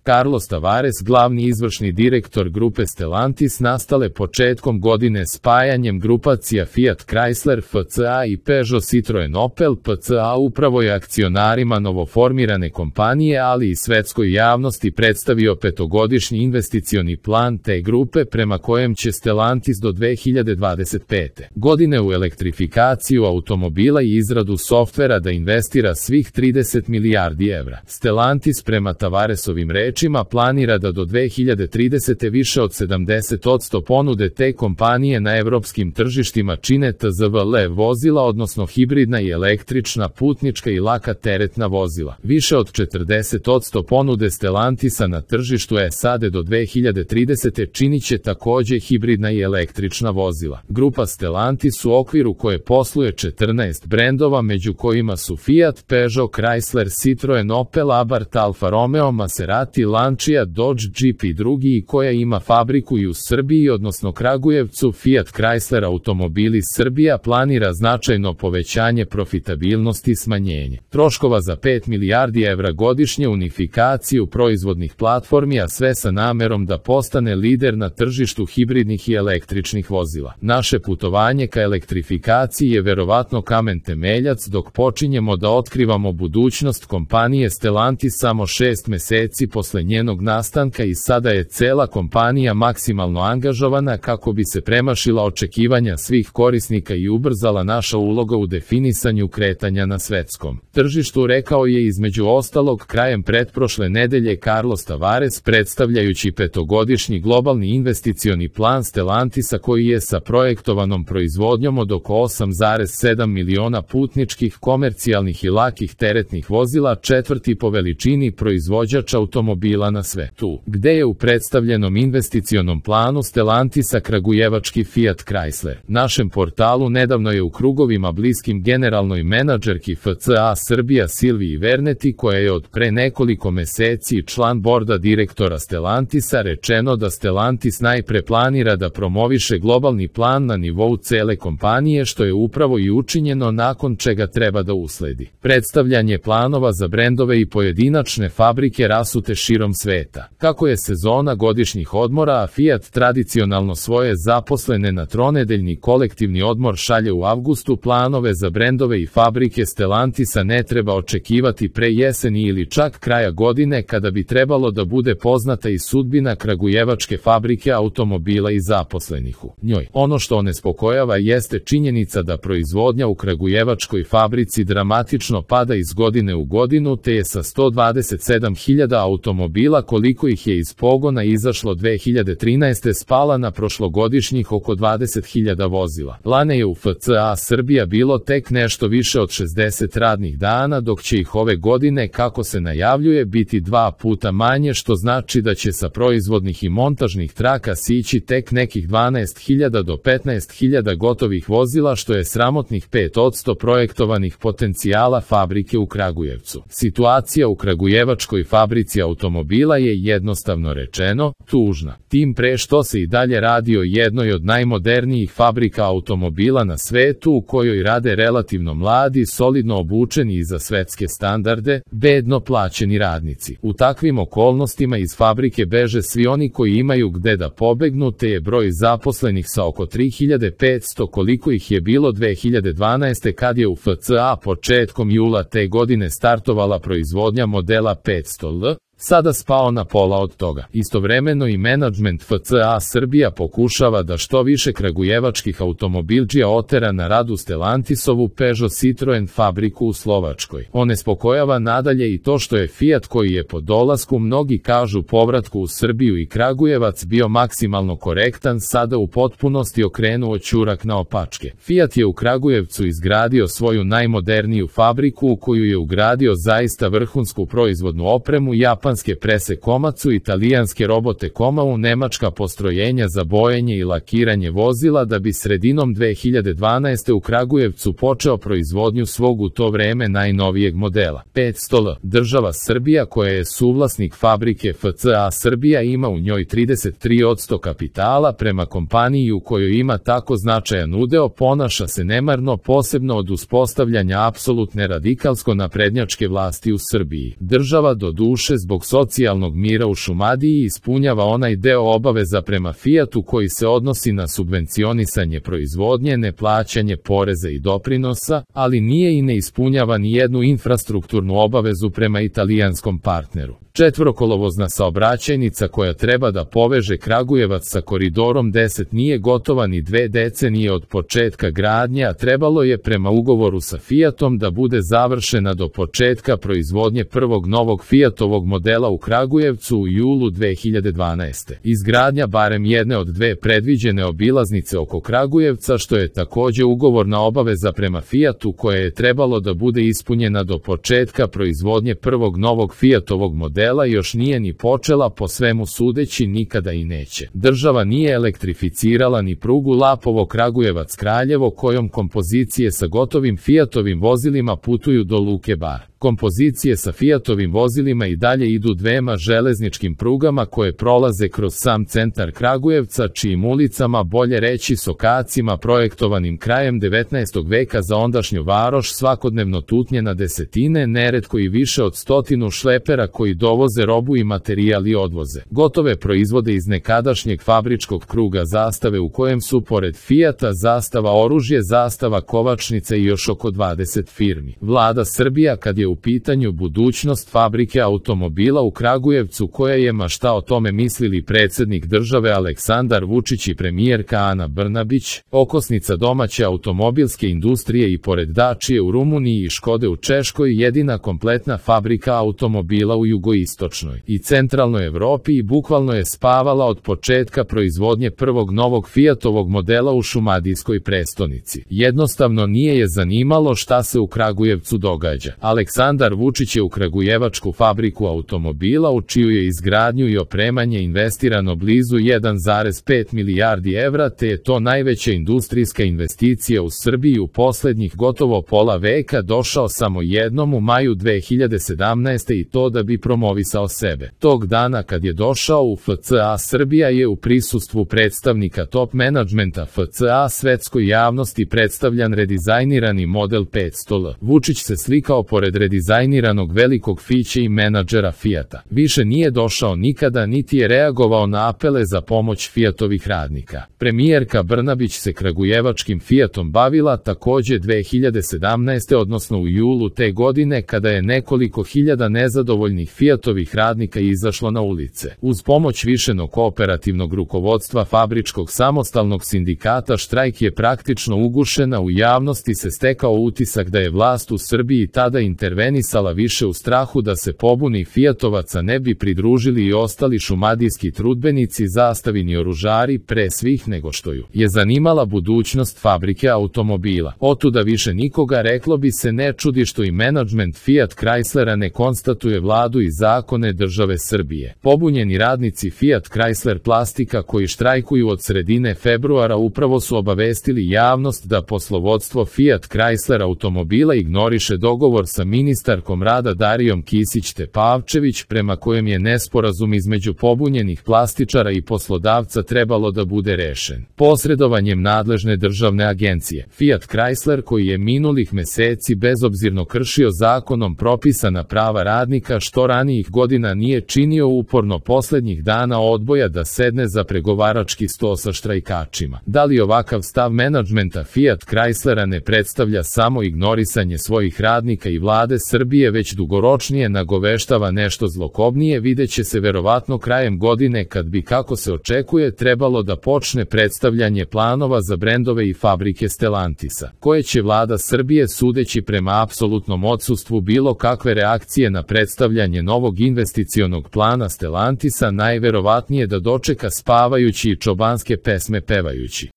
Carlos Tavares, glavni izvršni direktor grupe Stellantis, nastale početkom godine spajanjem grupacija Fiat Chrysler FCA i Peugeot Citroen Opel PCA, upravo je akcionarima novoformirane kompanije, ali i svetskoj javnosti predstavio petogodišnji investicioni plan te grupe prema kojem će Stellantis do 2025. godine u elektrifikaciju automobila i izradu softvera da investira svih 30 milijardi evra. Stellantis prema Tavaresovim rečima planira da do 2030. više od 70% ponude te kompanije na evropskim tržištima čine TZVL vozila, odnosno hibridna i električna, putnička i laka teretna vozila. Više od 40% ponude Stellantisa na tržištu SAD do 2030. činiće takođe hibridna i električna vozila. Grupa Stellantis, u okviru koje posluje 14 brendova, među kojima su Fiat, Peugeot, Chrysler, Citroen, Opel, Abarth, Alfa Romeo, Maserati, Lancia, Dodge, Jeep i drugi, i koja ima fabriku i u Srbiji, odnosno Kragujevcu. Fiat Chrysler Automobili Srbija planira značajno povećanje profitabilnosti i smanjenje troškova za 5 milijardi evra godišnje, unifikaciju proizvodnih platformi, a sve sa namerom da postane lider na tržištu hibridnih i električnih vozila. Naše putovanje ka elektrifikaciji je verovatno kamen temeljac dok počinjemo da otkrivamo budućnost kompanije Stellantis samo 6 meseci posle njenog nastanka, i sada je cela kompanija maksimalno angažovana kako bi se premašila očekivanja svih korisnika i ubrzala naša uloga u definisanju kretanja na svetskom tržištu, rekao je između ostalog krajem pretprošle nedelje Carlos Tavares, predstavljajući petogodišnji globalni investicioni plan Stellantisa koji je sa projektovanom proizvodnjom od oko 8,7 miliona putničkih, komercijalnih i lakih teretnih vozila četvrti po veličini proizvođač automobila na svetu, gde je u predstavljenom investicionom planu Stellantisa kragujevački Fiat Chrysler. Našem portalu nedavno je u krugovima bliskim generalnoj menadžerki FCA Srbija Silviji Verneti, koja je od pre nekoliko meseci član borda direktora Stellantisa, rečeno da Stellantis najpre planira da promoviše globalni plan na nivou cele kompanije, što je upravo i učinjeno, nakon čega treba da usledi predstavljanje planova za brendove i pojedinačne fabrike rasute širom sveta. Kako je sezona godišnjih odmora, a Fiat tradicionalno svoje zaposlene na tronedeljni kolektivni odmor šalje u avgustu, planove za brendove i fabrike Stellantisa ne treba očekivati pre jeseni ili čak kraja godine, kada bi trebalo da bude poznata i sudbina kragujevačke fabrike automobila i zaposlenih u njoj. Ono što onespokojava jeste činjenica da proizvodnja u kragujevačkoj fabrici dramatično pada iz godine u godinu, te je sa 127.000 automobila koliko ih je iz pogona izašlo 2013. spala na prošlogodišnjih oko 20.000 vozila. Lane je u FCA Srbija bilo tek nešto više od 60 radnih dana, dok će ih ove godine, kako se najavljuje, biti 2 puta manje, što znači da će sa proizvodnih i montažnih traka sići tek nekih 12.000 do 15.000 gotovih vozila, što je sramotnih 5% projektovanih potencijala fabrike u Kragujevcu. Situacija u kragujevačkoj fabrici automobila je, jednostavno rečeno, tužna. Tim pre što se i dalje radi o jednoj od najmodernijih fabrika automobila na svetu, u kojoj rade relativno mladi, solidno obučeni i za svetske standarde, bedno plaćeni radnici. U takvim okolnostima iz fabrike beže svi oni koji imaju gde da pobegnu, te je broj zaposlenih sa oko 3500 koliko ih je bilo 2012. kad je u FCA početkom jula te godine startovala proizvodnja modela 500L, sada spao na pola od toga. Istovremeno i menadžment FCA Srbija pokušava da što više kragujevačkih automobilđija otera na rad u Stellantisovu Peugeot Citroen fabriku u Slovačkoj. Onespokojava nadalje i to što je Fiat, koji je po dolasku, mnogi kažu povratku u Srbiju i Kragujevac, bio maksimalno korektan, sada u potpunosti okrenuo ćurak na opačke. Fiat je u Kragujevcu izgradio svoju najmoderniju fabriku u koju je ugradio zaista vrhunsku proizvodnu opremu, japanske prese Komatsu, italijanske robote Komau, nemačka postrojenja za bojenje i lakiranje vozila, da bi sredinom 2012. u Kragujevcu počeo proizvodnju svog u to vreme najnovijeg modela 500L. Država Srbija, koja je suvlasnik fabrike FCA Srbija, ima u njoj 33% kapitala. Prema kompaniji u kojoj ima tako značajan udeo, ponaša se nemarno, posebno od uspostavljanja apsolutne radikalsko naprednjačke vlasti u Srbiji. Država, do duše, zbog zbog socijalnog mira u Šumadiji ispunjava onaj deo obaveza prema Fijatu koji se odnosi na subvencionisanje proizvodnje, neplaćanje poreza i doprinosa, ali nije i ne ispunjava ni jednu infrastrukturnu obavezu prema italijanskom partneru. Četvorokolovozna saobraćajnica koja treba da poveže Kragujevac sa koridorom 10 nije gotova ni 2 decenije od početka gradnje, a trebalo je prema ugovoru sa Fijatom da bude završena do početka proizvodnje prvog novog Fijatovog modela u Kragujevcu u julu 2012. Izgradnja barem jedne od 2 predviđene obilaznice oko Kragujevca, što je takođe ugovorna obaveza prema Fijatu koja je trebalo da bude ispunjena do početka proizvodnje prvog novog Fijatovog modela, još nije ni počela, po svemu sudeći nikada i neće. Država nije elektrificirala ni prugu Lapovo-Kragujevac-Kraljevo kojom kompozicije sa gotovim Fijatovim vozilima putuju do Luke Bar. Kompozicije sa Fijatovim vozilima i dalje idu 2 železničkim prugama koje prolaze kroz sam centar Kragujevca, čijim ulicama, bolje reći sokacima projektovanim krajem 19. veka za ondašnju varoš, svakodnevno tutnje na desetine, neretko i više od 100 šlepera koji dovoze robu i materijal i odvoze gotove proizvode iz nekadašnjeg fabričkog kruga Zastave u kojem su pored Fijata Zastava oružje, Zastava kovačnica i još oko 20 firmi. Vlada Srbija, kad je u pitanju budućnost fabrike automobila u Kragujevcu koja je, ma šta o tome mislili predsednik države Aleksandar Vučić i premijerka Ana Brnabić, okosnica domaće automobilske industrije i pored Dačije u Rumuniji i Škode u Češkoj, jedina kompletna fabrika automobila u jugoistočnoj i centralnoj Evropi i bukvalno je spavala od početka proizvodnje prvog novog Fijatovog modela u šumadijskoj prestonici. Jednostavno nije je zanimalo šta se u Kragujevcu događa. Aleksandar Vučić je u kragujevačku fabriku automobila, u čiju je izgradnju i opremanje investirano blizu 1,5 milijardi evra, te je to najveća industrijska investicija u Srbiji u poslednjih gotovo pola veka, došao samo jednom u maju 2017. i to da bi promovisao sebe. Tog dana kad je došao u FCA, Srbija je u prisustvu predstavnika top menadžmenta FCA svetskoj javnosti predstavljan redizajnirani model 500L. Vučić se slikao pored redizajniranog velikog fiće i menadžera Fijata. Više nije došao nikada niti je reagovao na apele za pomoć Fijatovih radnika. Premijerka Brnabić se kragujevačkim Fijatom bavila takođe 2017. odnosno u julu te godine kada je nekoliko hiljada nezadovoljnih Fijatovih radnika izašlo na ulice. Uz pomoć višenog kooperativnog rukovodstva fabričkog samostalnog sindikata štrajk je praktično ugušena, u javnosti se stekao utisak da je vlast u Srbiji tada intervenisala više u strahu da se pobuni Fijatovaca ne bi pridružili i ostali šumadijski trudbenici, Zastavini oružari, pre svih nego što ju je zanimala budućnost fabrike automobila. Otuda više nikoga, reklo bi se, ne čudi što i menadžment Fiat Chryslera ne konstatuje vladu i zakone države Srbije. Pobunjeni radnici Fiat Chrysler Plastika koji štrajkuju od sredine februara upravo su obavestili javnost da poslovodstvo Fiat Chrysler automobila ignoriše dogovor sa ministarkom rada Darijom Kisić-Tepavčević prema kojem je nesporazum između pobunjenih plastičara i poslodavca trebalo da bude rešen posredovanjem nadležne državne agencije. Fiat Chrysler, koji je minulih meseci bezobzirno kršio zakonom propisana prava radnika što ranijih godina nije činio, uporno poslednjih dana odboja da sedne za pregovarački sto sa štrajkačima. Da li ovakav stav menadžmenta Fiat Chryslera ne predstavlja samo ignorisanje svojih radnika i vlade Srbije, već dugoročnije nagoveštava nešto zlokobnije, videće se verovatno krajem godine kad bi, kako se očekuje, trebalo da počne predstavljanje planova za brendove i fabrike Stellantisa, koje će vlada Srbije, sudeći prema apsolutnom odsustvu bilo kakve reakcije na predstavljanje novog investicionog plana Stellantisa, najverovatnije da dočeka spavajući i čobanske pesme pevajući.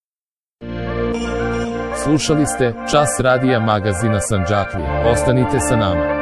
Slušali ste Čas radija magazina Sandžaklije. Ostanite sa nama.